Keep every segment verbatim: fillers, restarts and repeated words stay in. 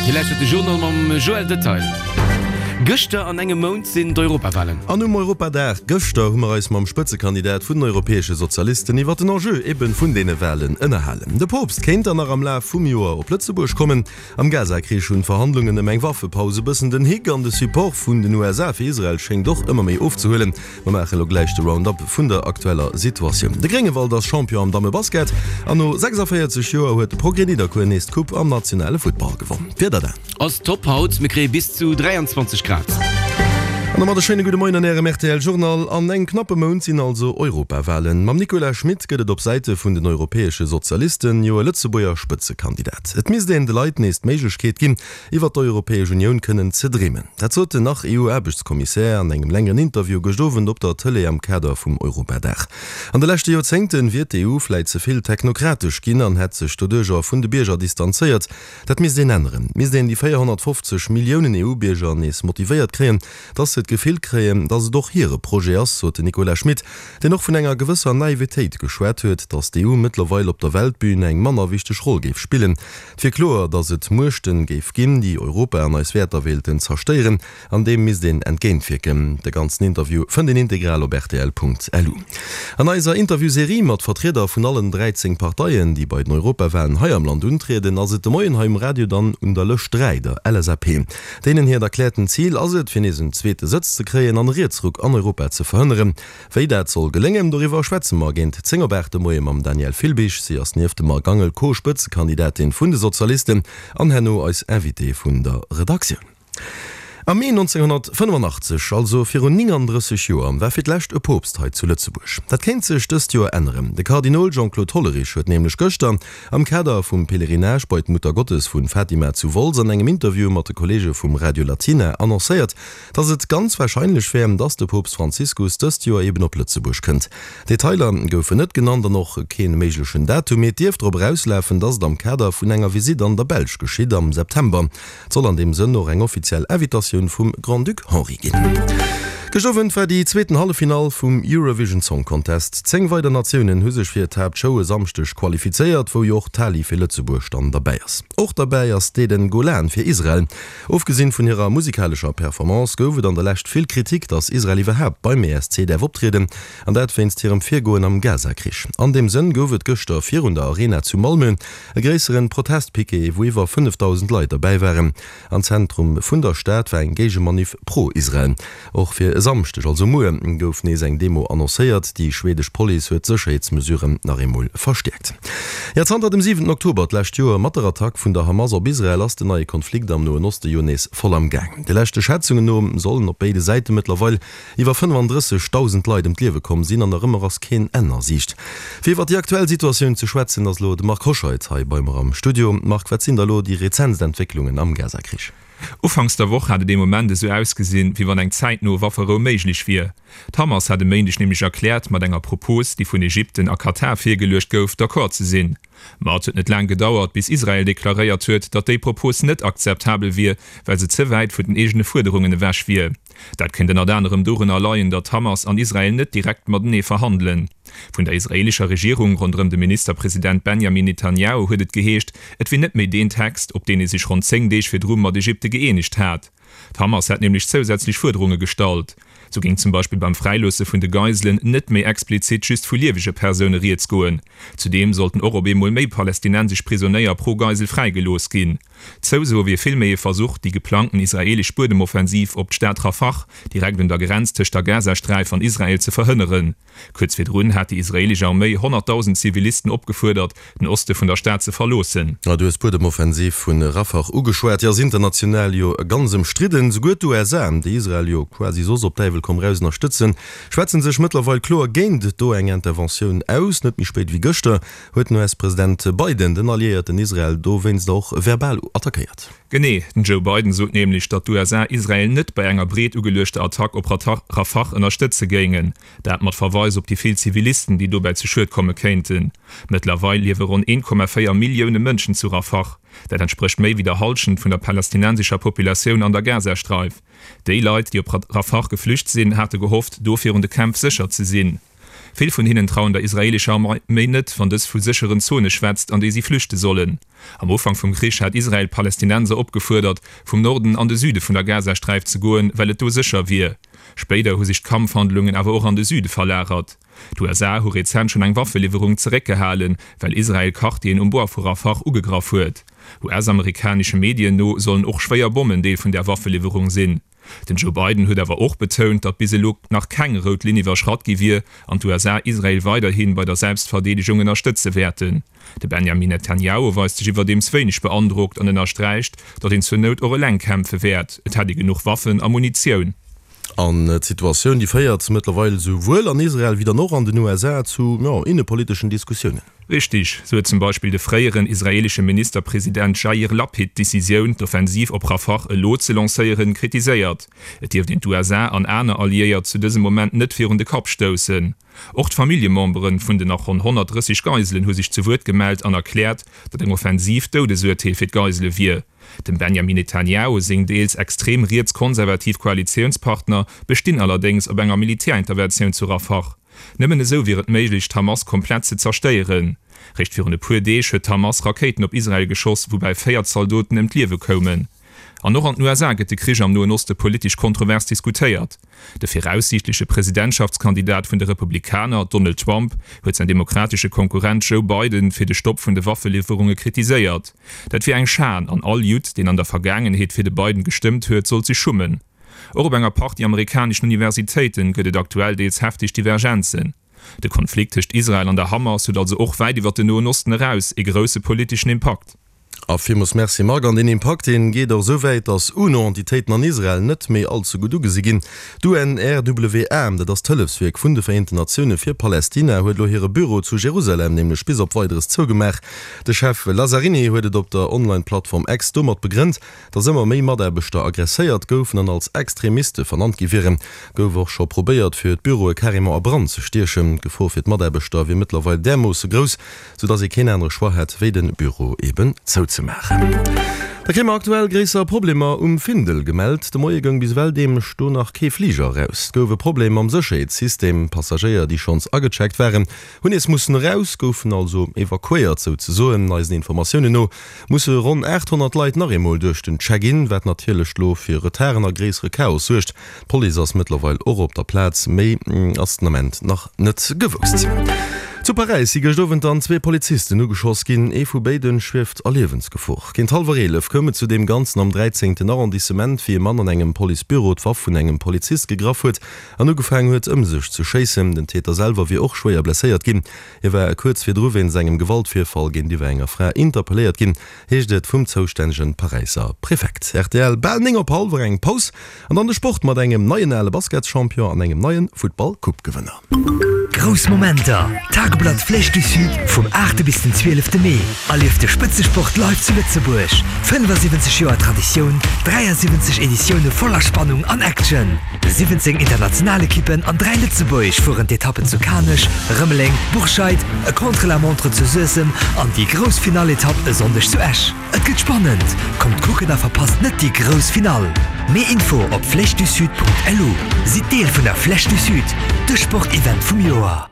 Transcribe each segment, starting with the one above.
Dir lauschtert de Journal mam Joël Detail. Gëschter an engem Mount sinn d'Europawalen. An um Europadag gëschter hu mer eis mam Spëtzekandidat vun den europäesche Sozialisten iwwer den Enjeu eben vun deene Walen ënnerhalen. De Poopst kéint dann nach am Laf vum Joer op Lëtzebuerg kommen. Am Gaza-Krich hunn d'Verhandlungen ëm eng Waffepaus e bëssen den Hick an de Support vun den U S A fir Israel schéngt och ëmmer méi ofzehuelen. Mer maache lo gläich de Roundup vun der aktueller Situatioun. De Gréngewald ass Champion am Dammebasket an no sechsavéierzeg Joer huet de Progrès Nidderkuer nees d'Coupe am nationale Futtball gewonn. D'Wieder dann? Ass top haut, mir kréie bis zu dräianzwanzeg Grad. An domat e schéine gudde Moien an Ärem R T L Journal. An engem knappe Mount sinn also Europawalen. Mam Nicolas Schmit gëtt et op Säite vun den europäesche Sozialisten jo e Lëtzebuerger Spëtzekandidat. Et misst een de Leit nees d'Méiglechkeet ginn, iwwer d'Europäesch Unioun kënnen ze dreemen. Dat sot den Nach-E U-Aarbechtskommissär an engem längeren Interview gëscht Owend op der Tëlee am Kader vum Europadag. An de leschte Joerzéngte wier d'E U vläit ze vill technokratesch ginn an hätt sech doduercher vun de Bierger distanzéiert. Dat misst een änneren. Et misst een déi véierhonnertfofzeg Milliounen E U-Bierger nees motivéiert kréien, dass se d'Gefill kréien, dass et och hire Projet ass, sot den Nicolas Schmit, deen och vun enger gewësser Naivetéit geschwat huet, dass d'E U mëttlerweil op der Weltbün eng manner wichteg Roll géif spillen. Et wier kloer, dass et Muechten géif ginn, déi Europa an eis Wäerter wéilten zerstéieren, an deem misst een entgéintwierken. De ganzen Interview fënnt een integral op rtl Punkt lu. An eiser Interviewserie mat Vertrieder vun allen dräizéng Parteien, déi bei den Europawalen hei am Land untrieden, ass et de Moien hei um Radio dann un der Lëscht dräi, der L S A P. Deenen hiert erkläerten Zil ass et, fir nees en zweete Sëtz ze kréien an e Rietsruck an Europa ze verhënneren. Wéi dat soll geléngen, doriwwer schwätze mer géint zéng op aacht de Moie mam Danièle Filbig. Si ass nieft dem Marc Angel Co-Spëtzekandidatin vun de Sozialisten an herno eis Invitée vun der Redaktioun. Am Mee nonzénghonnertfënnefanachtzeg, also virun néngandrësseg Joer, war fir d'lescht e Poopst hei zu Lëtzebuerg. Dat kéint sech dëst Joer änneren. De Kardinol Jean-Claude Hollerich huet nämlech gëschter am Kader vum Pèlerinage bei d'Muttergottes vun Fatima zu Wolz an engem Interview mat de Kolleege vum Radio Latina annoncéiert, dass et ganz warscheinlech wär, dass de Poopst Franziskus dëst Joer eben op Lëtzebuerg kënnt. Detailer goufen net genannt an och kee méiglechen Datum, mee et dierft drop erauslafen, dass et am Kader vun enger Visitt an der Belsch geschitt am September. Et soll an deem Sënn och eng offiziell Invitatioun vum Grand-Duc Henri ginn. Gëscht Owend war déi zweeten Halleffinall vum Eurovision Song Contest. Zéng weider Natiounen hu sech fir d'Haaptshow e Samschdeg qualifizéiert, wou jo och d'Tali fir Lëtzebuerg dann derbäi ass. Och derbäi ass d'Eden Golan fir Israel. Ofgesinn vun hirer musikalescher Performance gouf et an der Lescht vill Kritik, datt Israel iwwerhaapt beim E S C däerf optrieden, an dat wéinst hirem Virgoen am Gaza-Krich. An deem Sënn gouf et gëschter virun der Arena zu Malmö e gréisseren Protestpiquet, wou iwwer fënnefdausend Leit derbäi waren. Am Zentrum vun der Stad war eng Géigemanif pro Israel. Och fir e Samschdeg, also muer, gouf nees eng Demo annoncéiert. Déi schwedesch Police huet d'Sécherheetsmesuren nach eemol verstäerkt. Jo, zanter dem siwenten Oktober d'lescht Joer mat der Attack vun der Hamas op Israel ass den neie Konflikt am Noen Oste jo nees voll am Gaang. De leschte Schätzungen no sollen op béide Säite mëttlerweil iwwer fënnefandrëssegdausend Leit ëm d'Liewe komm sinn an nach ëmmer ass keen Enn a Siicht. Fir iwwer déi aktuell Situatioun ze schwätzen, ass elo de Marc Hoscheid hei bei mer am Studio. Marc, wat sinn da elo déi rezentst Entwécklungen am Gaza-Krich? Ufanks der Woch hat et ee Moment esou ausgesinn, wéi wann eng zäitno Wafferou méiglech wier. D'Hamas hat e Méindeg nämlech erkläert, mat enger Propos, déi vun Ägypten a Katar virgeluecht gouf, d'accord ze sinn. Ma et huet net laang gedauert, bis Israel deklaréiert huet, datt déi Propos net akzeptabel wier, well se ze wäit vun den eegene Fuerderungen ewech wier. Dat kéint ënnert anerem dorunner leien, datt d'Hamas an Israel net direkt matenee verhandelen. Vun der israeelescher Regierung ronderëm de Ministerpresident Benjamin Netanjahu huet et geheescht, et wier net méi deen Text, op deen ee sech ronn zéng Deeg virdru mat Ägypte gëeenegt hat. D'Hamas hätt nämlech zousätzlech Fuerderunge gestallt. Sou géing zum Beispill beim Fräiloosse vun de Geiselen net méi explizit just vu liewege Persoune rieds goen. Zudeem sollten och op eemol méi palästinensesch Prisonéier pro Geisel fräigelooss ginn. D'Zouso wier villméi e Versuch, déi geplangten israeelesch Buedemoffensiv op d'Stad Rafah, direkt un der Grenz tëscht der Gazasträif an Israel, ze verhënneren. Kuerz virdrun hat déi israeelesch Arméi honnertdausend Zivilisten opgefuerdert, den Oste vun der Stad ze verloossen. Du hues d'Buedemoffensiv vu Rafah ugeschwat. Déi ass international jo ganz ëmstridden. Souguer d'U S A, déi Israel jo quasi soss op Däiwel komm raus ënnerstëtzen, schwätzen sech mëttlerweil kloer géint do eng Interventioun aus. Net méi spéit wéi gëschter huet den U S-President Biden den Alliéierten Israel dowéinst och verbal attackéiert. Genee, den Joe Biden sot nämlech, datt d'U S A Israel net bei enger breet ugeluechter Attack op Rafah ënnerstëtze géingen. Dat mat Verweis op déi vill Zivilisten, déi dobäi zu Schued komme kéinten. Mëttlerweil liewe ronn een Komma véier Millioune Mënschen zu Rafah. Dat entsprécht méi wéi der Hallschent vun der palästinensescher Populatioun an der Gazasträif. Déi Leit, déi op Rafah geflücht sinn, hate gehofft, do virun de Kämpf sécher ze sinn. Vill vun hinnen trauen der israeelescher Arméi net, wann dës vu sécheren Zone schwätzt, an déi si flüchte sollen. Am Ufank vum Krich hat Israel Palästinenser opgefuerdert, vum Norden an de Süde vun der Gazasträif ze goen, well et do sécher wier. Spéider hu sech d'Kampfhandlungen awer och an de Süde verlagert. D'USA hu rezent schonn eng Waffeliwwerung zeréckgehalen, well Israel Quartieren um Bord vu Rafah ugegraff huet. US-amerikanesche Medien no sollen och schwéier Bommen Deel vun där Waffeliwwerung sinn. Den Joe Biden huet awer och betount, datt bis elo nach keng rout Linn iwwerschratt gi wier an d'USA Israel weiderhi bei der Selbstverdeedegung ënnerstëtze wäerten. De Benjamin Netanjahu weist sech iwwerdeems wéineg beandrockt an ënnersträicht, datt een zur Nout och eleng kämpfe wäert, et hätt ee genuch Waffen a Munitioun. An d'Situatioun, déi féiert mëttlerweil esou wuel an Israel wéi dann och an den USA zu, jo, innepoliteschen Diskussiounen. Richtig, sou huet zum Beispill de fréieren israeelesche Ministerpresident Jair Lapid d'Decisioun, d'Offensiv op Rafah elo ze lancéieren, kritiséiert. Et dierft een d'USA an aner Alliéiert zu dësem Moment net virun de Kapp stoussen. Och d'Familljemembere vun den nach ronn honnertdrësseg Geiselen hu sech zu Wuert gemellt an erkläert, datt eng Offensiv d'Doudesurteel fir d'Geisele wier. Dem Benjamin Netanjahu seng deels extrem riets-konservativ Koalitiounspartner bestinn allerdéngs op enger Militärinterventioun zu Rafah. Nëmmen esou wier et méiglech, d'Hamas komplett ze zerstéieren. Réischt virun e puer Deeg huet d'Hamas Rakéiten op Israel geschoss, woubäi véier Zaldoten ëm d'Liewe koumen. An och an den USA gëtt de Krich am Noen Oste politesch kontrovers diskutéiert. De viraussiichtleche Presidentschaftskandidat vun de Republikaner, Donald Trump, huet säin demokratesche Konkurrent Joe Biden fir de Stopp vun de Waffeliwwerunge kritiséiert. Dat wier eng Schan an all Judd, deen an der Vergaangenheet fir de Biden gestëmmt huet, sollt sech schummen. Och op enger Partie amerikaneschen Universitéite gëtt et aktuell deels hefteg Divergenzen. De Konflikt tëscht Israel an der Hamas huet also och wäit iwwer den Noen Osten eraus ee grousse politeschen Impakt. A villmools Merci Marc. An deen Impakt, dee geet och esou wäit, datt UNO-Entitéiten an Israel net méi all ze gutt ugesi ginn. D'UNRWA, dat ass d'Hëllefswierk vun de Vereenten Natioune fir Palästina, huet elo hire Büro zu Jerusalem nämlech bis op Weideres zougemaach. De Chef Lazzarini huet et op der Online-Plattform X domat begrënnt, datt ëmmer méi Mataarbechter aggresséiert goufen an als Extremiste vernannt gi wieren. Gouf och scho probéiert, fir d'Büroe carrément a Brand ze stiechen. D'Gefor fir d'Mataarbechter wier mëttlerweil därmoosse grouss, sou datt ee keen anere Choix hätt, wéi de Büro eben zouzemaachen. Da kréie mer aktuell gréisser Problemer um Findel gemellt. De Moie goung bis ewell deemlech do nach kee Fliger eraus. Et gouf e Problem mam Sécherheetssystem. Passagéier, déi schonns agecheckt waren, hunn nees mussen eraus, goufen also evakuéiert souzesoen. Eisen Informatiounen no musse ronn aacht honnert Leit nach eemol duerch den Check-in, wat natierlech lo fir Retarden a gréissere Chaos suergt. D'Police ass mëttlerweil och op der Plaz, méi ass den Ament nach net gewousst. Zu Paräis si gëscht Owend dann zwee Polizisten ugeschoss ginn. Ee vu béiden schwieft a Liewensgefor. Géint hallwer eelef koum et zu deem Ganzen am dräizéngten Arrondissement, wéi e Mann an engem Policebüro d'Waff vun engem Polizist gegraff huet an ugefaangen huet, ëm sech ze schéissen. Den Täter selwer wier och schwéier blesséiert ginn. Hie war kuerz virdru wéinst engem Gewaltvirfall géintiwwer enger Fra interpelléiert ginn, heescht et vum zoustännege Paräisser Prefekt. Rtl, Bal néng op hallwer, eng Paus an dann de Sport mat engem neien ale Basketschampion an engem neie Futtball-Coupe-Gewënner. Grouss Momenter, Tageblatt Flèche du Sud vum aachte bis den zwielefte Mee. Erlieft de Spëtzesport live zu Lëtzebuerg. fënnefasiwwenzeg Joer Traditioun, dräiasiwwenzeg Editioune voller Spannung an Action. siwwenzéng international Ekippen an dräi lëtzebuergesch fueren d'Etappen zu Kanech, Rëmeleng, Bourscheid, e Contre-la-montre zu Suessem an déi grouss Finall-Etapp e Sonndeg zu Esch. Et gëtt spannend! Kommt kucken a verpasst net déi grouss Finall! Méi Info op flèchedusud.lu. Sidd Deel vun der Flèche du Sud, de Sportevent vum Joer!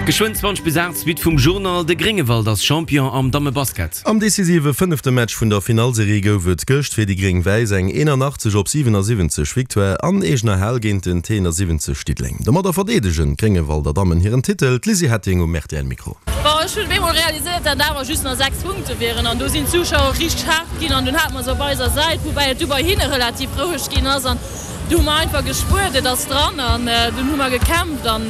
Geschwënn zwanzeg bis aacht, Suite vum Journal, De Gréngewald ass Champion am Dammebasket. Am decisive fënnefte Match vun der Finallserie gouf et gëscht fir déi Gréng-Wäiss eng eenanachtzeg op siwenassiwwenzeg Victoire an eegener Hal géint den T siwwenzeg Diddeleng. Domadder verdeedegen d'Gréngewalder Dammen hiren Titel. D'Lizzy Hetting um R T L-Mikro. Bon, ech hunn op eemol realiséiert, dat awer just nach sechs Punkte wieren an do sinn d'Zuschauer richteg haart ginn an dunn hate mer se op eiser Säit, woubäi et du bei hinne relativ roueg ginn ass an du hu mer einfach gespuert, et ass dran an dunn hu mer gekämpft an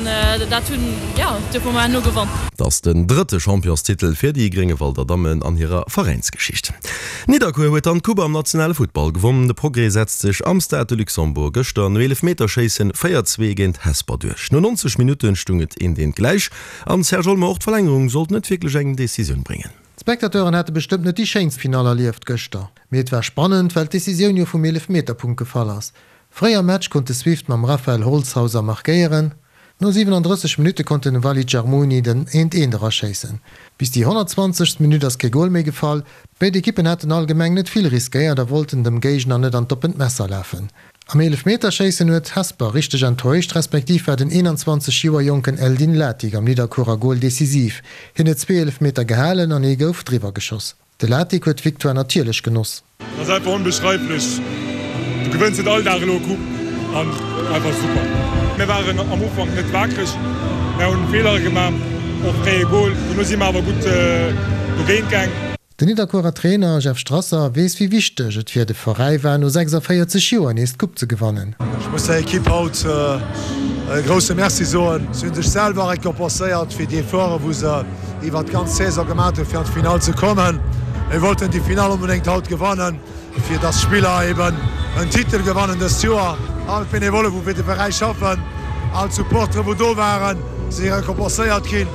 dat hunn, jo, duerfir hu mer herno gewonn. Et ass den drëtte Championstitel fir déi Gréngewalder Dammen an hirer Veräinsgeschicht. Nidderkuer huet dann d'Coupe am nationale Futtball gewonn. De Progrès setzt sech am Stade de Luxembourg gëschter no Eelefmeterschéissen véier zwee géint Hesper duerch. No neunzeg Minutten stung et eent eent gläich an Serge Olmo, och d'Verlängerung sollt net wierklech eng Decisioun bréngen. D'Spectateuren hate bestëmmt net déi schéinst Finall erlieft gëschter, mee et war spannend, well d'Decisioun jo vum Eelefmeterpunkt gefall ass. Fréi am Match konnt de Swift mam Raphael Holzhauser markéieren, no siwenandrësseg Minutte konnt den Walid Jarmouni den Eent-Eent eraschéissen. Bis déi honnertzwanzegst Minutt ass kee Gol méi gefall. Béid Ekippen haten allgemeng net vill riskéiert a wollten dem Géigner net an d'oppent Messer lafen. Am Eelefmeterschéissen huet Hesper richteg enttäuscht, respektiv war den eenanzwanzeg Joer jonken Eldin Latic am Nidderkuerer Gol decisiv. Hien huet zwee Eelefmeter gehalen an ee gouf driwwer geschoss. De Latic huet d'Victoire natierlech genoss. Dat ass einfach onbeschreiflech. Du gewënns net all Dag elo e Coupe an einfach super. Mir waren am Ufank net wakereg, mir hunn Feelere gemaach, och fréie Gol. Dono si mir awer gutt dogéint gaang. Den Nidderkuerer Trainer Jeff Strasser weess wéi wichteg et fir de Veräi war no sechsavéierzeg Joer nees d'Coupe ze gewannen. Ech muss der Ekipp haut e grousse Merci soen. Si hunn sech selwer récompenséiert fir déi Efforte wou se iwwert d'ganz Saison gemaat hunn fir an d'Finall ze kommen. Mir wollten déi Finall onbedéngt haut gewannen, fir dass d'Spiller eben en Titel gewannen dëst Joer. All d'Benevolle wou fir de Veräi schaffen, all d'Supportere wou do waren, si récompenséiert ginn,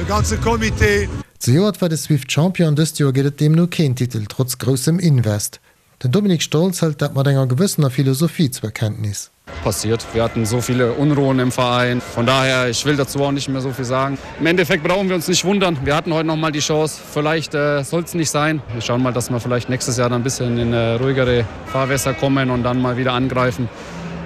de ganze Comité. Zejoert war de Swift Champion, dëst Joer gëtt et deemno keen Titel, trotz groussem Invest. Den Dominik Stolz hëlt dat mat enger gewëssener Philosophie zur Kenntnis. Passiert. Wir hatten so viele Unruhen im Verein. Von daher, ich will dazu auch nicht mehr so viel sagen. Im Endeffekt brauchen wir uns nicht wundern. Wir hatten heute noch mal die Chance. Vielleicht äh, soll es nicht sein. Wir schauen mal, dass wir vielleicht nächstes Jahr dann ein bisschen in äh, ruhigere Fahrwässer kommen und dann mal wieder angreifen.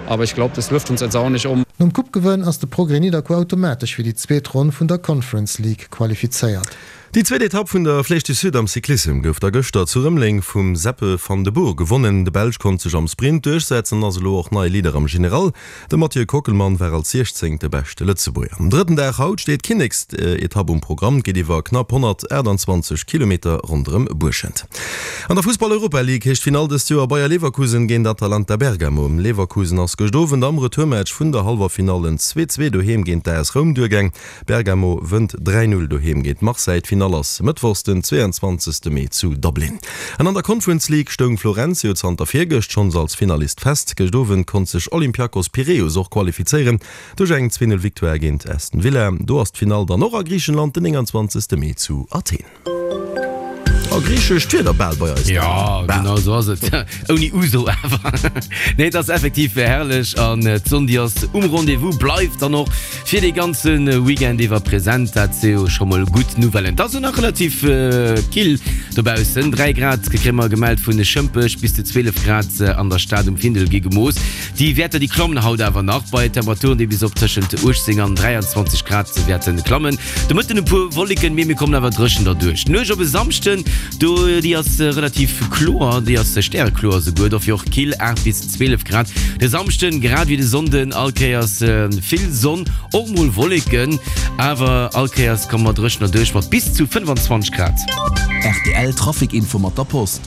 Aber ich glaube, das wirft uns jetzt auch nicht um. Nom Coupe-Gewënn ass de Progrès Nidderkuer automatesch fir déi zweet Ronn vun der Conference League qualifizéiert. Déi zweet Etapp vun der Flèche du Sud am Cyclissem gouf da gëschter zu Rëmeleng vum Seppe van de Boer gewonnen. De Belsch konnt sech am Sprint duerchsetzen an ass elo och neie Leader am General. De Mathieu Kockelmann war als siechzéngte beschte Lëtzebuerger. Um drëtten Dag haut steet d'Kinneksetapp um Programm. Et geet iwwer knapp honnertaachtanzwanzeg Kilometer ronderëm Buerschent. An der Fussball-Europa League heescht d'Finall dëst Joer Bayer Leverkusen géint Atalanta Bergamo. Leverkusen ass gëscht Owend am Retourmatch vun der hallwer Finall zwee zwee doheem géint d'A S Roum duergaang. Bergamo wënnt dräi Null doheem géint Marseille. D'Finall ass mëttwochs den zweeanzwanzegste Mee zu Dublin. An an der Conference League stoung Florenz jo zanter virgëscht schonns als Finalist fest. Gëscht Owend konnt sech Olympiakos Piräus och qualifizéieren duerch eng zwee Null Victoire géint Aston Villa. Do ass d'Finall dann och a Griichenland den nénganzwanzegste Mee zu Athen. A griichescht Wieder bal bei eis. Jo, genau esou ass et. Ouni Ouzo awer. Nee, et ass effektiv herrlech an d'Sonn déi ass um Rendez-vous, bleift dann och fir dee ganze Weekend iwwer present. Dat si jo scho mol gutt Nouvellen. Et ass och nach relativ kill dobaussen, dräi Grad kréie mer gemellt vun Schëmpech, bis zu zwielef Grad an der Stad um Findel gi gemooss. Déi Wäerter déi klammen haut awer nach bei Temperaturen déi bis op tëschent uechtzéng an dräianzwanzeg Grad wäerte klammen. De Mëtten e puer Wolleken, mee mir kommen awer dréchen derduerch. D'Nuecht op e Samschden, do déi ass relativ kloer, déi ass stärekloer esouguer, dofir och kill, aacht bis zwielef Grad. De Samschden, grad wéi de Sonnden, all Kéiers vill Sonn, och mol Wolleken, awer all Kéiers komme mer dréchen derduerch mat bis zu fënnefanzwanzeg Grad. R T L Trafic Info mat der Post.